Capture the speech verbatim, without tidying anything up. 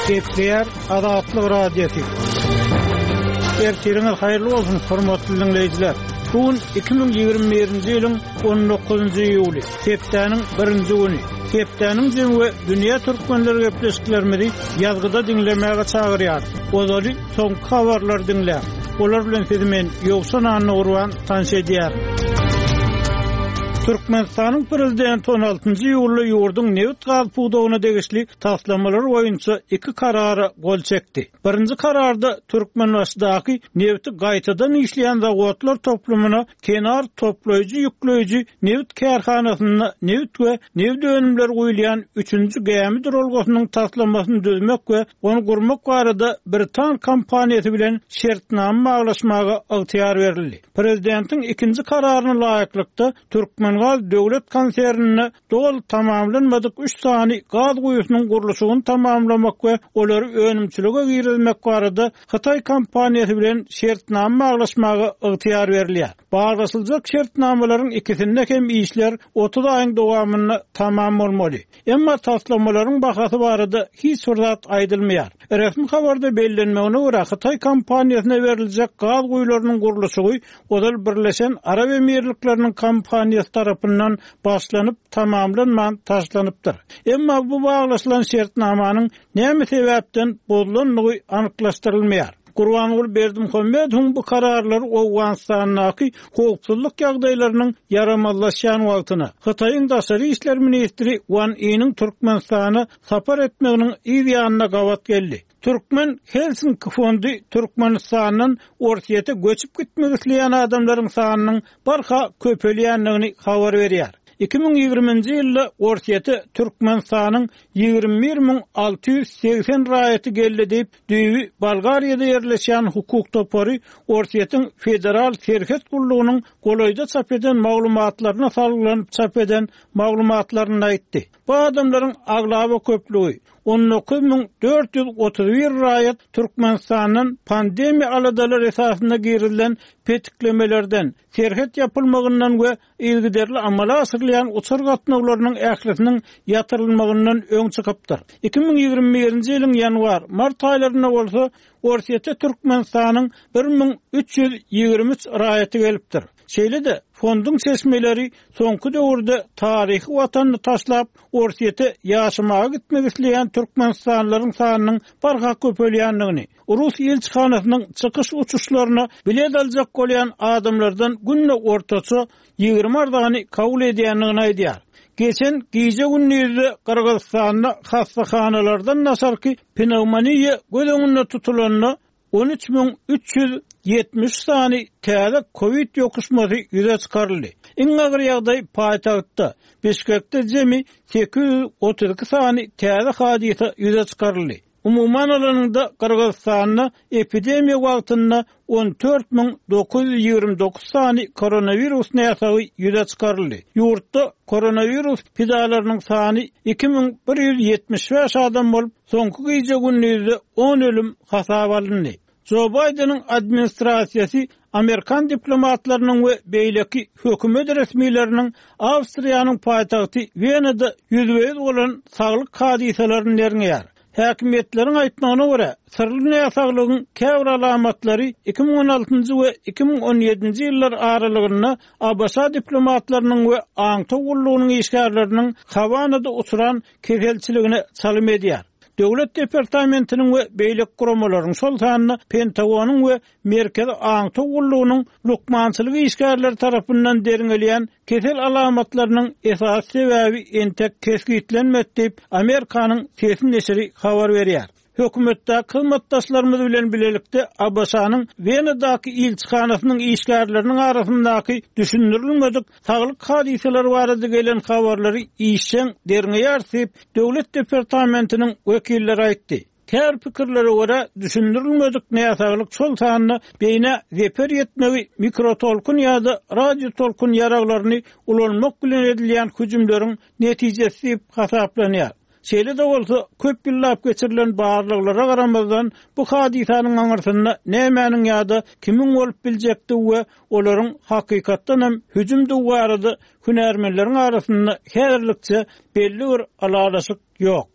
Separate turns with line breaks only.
Gepleýär Azatlyk Radiosy. Ertiriňiz haýyrly bolsun, hormatly dinleýjiler. Bu gün iki müň ýigrimi birinji ýylyň on dokuzynjy iýuly, hepdäniň birinji güni. Hepdäniň jemi we dünýä türkmenleri gepleşiklerimizi ýazgyda diňlemäge çagyrýar. Ozaly soňky habarlar diňläň. Olar bilen sizi men Ýowşan Annagurban tanyş edýärin. Türkmenistanyň prezidenti on altynjy iýulda ýurduň nebit gaz pudagyna degişli taslamalar boýunça iki karara gol çekdi. Birinji kararda Türkmenbaşydaky nebiti gaýtadan işleýän zawodlar toplumyna kenar toplaýjy ýükleýji nebit kärhanasynda nebit we nebit önümleri guýulýan üçünji gämi duralgasynyň taslamasyny düzmek we ony gurmak barada Britan kompaniýasy bilen şertnama baglaşmaga ygtyýar berildi. Prezidentiň ikinji kararyna laýyklykda Türkmengaz döwlet konsernine doly tamamlanmadyk üç sany gaz guýusynyň gurluşygyny tamamlamak we olary önümçilige girizmek barada Hytaý kompaniýasy bilen şertnama baglaşmaga ygtyýar berilýär. Baglaşyljak şertnamalaryň ikisinde hem işler otuz aýyň dowamynda tamam bolmaly. Emma taslamalaryň bahasy barada hiç bir zat aýdylmaýar. Resmi habarda bellenmegine görä Hytaý kompaniýasyna beriljek gaz guýularynyň gurluşygy ozal Birleşen Arap Emirlikleriniň kompaniýasy tarapyndan başlanyp tamamlanman taşlanypdyr. Emma bu baglaşylan şertnamanyň näme sebäpden bozulandygy anyklaşdyrylmaýar. Gurbanguly Berdimuhamedowyň bu kararlary Owganystandaky howpsuzlyk ýagdaýlarynyň ýaramazlaşýan wagtyna Hytaýyň daşary işler ministri Wan Yiniň Türkmenistana sapar etmeginiň yz ýanyna gabat geldi. Türkmen Helsinki fondy Türkmenistandan Orsýete göçüp gitmek isleýän adamlaryň sanynyň barha köpelýändigini habar berýär. Iki müň ýigriminji ýylda Orsýete Türkmenistanyň ýigrimi bir müň alty ýüz segsen raýaty geldi diýip, düýbi Bolgariýada ýerleşýän hukuk topary Orsýetiň Federal Serhet gullugynyň golaýda çap eden maglumatlaryna salgylanyp çap eden maglumatlaryny aýtdy. Bu adamlaryň aglaba köplügi on dokuz müň dört ýüz otuz bir raýat Türkmenistandan pandemiýa aladalary esasynda girizilen petiklemelerden, serhet ýapylmagyndan we yzygiderli amala aşyrylýan uçar gatnawlarynyň ählisiniň ýatyrylmagyndan öň çykypdyr. Iki müň ýigrimi birinji ýylyň ýanwar, mart aýlarynda bolsa Orsýete Türkmenistanyň bir müň üç ýüz ýigrimi üç raýaty gelipdir. Şeýle-de fonduň çeşmeleri soňky döwürde taryhy watanyny taşlap Orsýete ýaşamaga gitmek isleýän Türkmenistanlylaryň sanynyň barha köpelýändigini, Rus ilçihanasynyň çykyş uçuşlaryna bilet aljak bolýan adamlardan günde ortaça ýigrimi arzany kabul edýändigini aýdýar. Geçen gije gündizde Gyrgyzystanda hassahanalardan naşarky pnevmoniýa göz öňünde tutulanda on üç müň üç ýüz ýetmiş sany täze COVID ýokuşmasy ýüze çykaryldy. Iň agyr ýagdaý paýtagtda, Bişkekde jemi sekiz ýüz otuz iki sany täze hadysa ýüze çykaryldy. Umuman alanyňda Gyrgyzystanda epidemiýa wagtynda on dört müň dokuz ýüz ýigrimi dokuz sany koronawirus näsagy ýüze çykaryldy. Ýurtda koronawirus pidalarynyň sany iki müň bir ýüz ýetmiş bäş adam bolup, soňky gije gündizde on ölüm hasap alyndy. Joe Biden'in administrasiýasy Amerikan diplomatlarynyň we beýleki hökümet resmileriniň Awstriýanyň paýtagty Wenada ýüzbe-ýüz bolan saglyk hadysalaryny derňeýär. Häkimiýetleriň aýtmagyna görä, syrly näsaglygyň käbir alamatlary iki müň on altynjy we iki müň on ýedinji ýyllar aralygynda A B Ş diplomatlarynyň we aňtaw gullugynyň işgärleriniň Hawanada uçran keselçiligine çalym edýär. Döwlet departamentiniň we beýleki guramalaryň, şol sanda Pentagonyň we Merkezi aňtaw gullugynyň lukmançylyk işgärleri tarapyndan derňelýän kesel alamatlarynyň esasy sebäbi entek kesgitlenmedi diýip, Amerikanyň sesi neşiri habar berýär. Hökümetdäki hyzmatdaşlarymyz bilen bilelikde A B Ş-nyň Wenadaky ilçihanasynyň işgärleriniň arasyndaky düşündirilmedik saglyk hadysalary barada gelen habarlary işjeň derňeýär diýip, Döwlet departamentiniň wekilleri aýtdy. Käbir pikirlere görä düşündirilmedik näsaglyk şol sanda beýne zeper ýetmegi mikrotolkun ýa-da radiotolkun ýaraglaryny ulanmak bilen edilýän hüjümleriň netijesi diýip hasaplanýar. Şeýle-de bolsa, köp ýyllap geçirilen barlaglara garamazdan bu hadysanyň aňyrsynda nämäniň ýa-da kimiň bolup biljekdigi we olaryň hakykatdan hem hüjümdigi barada hünärmenleriň arasynda häzirlikçe belli bir ylalaşyk ýok.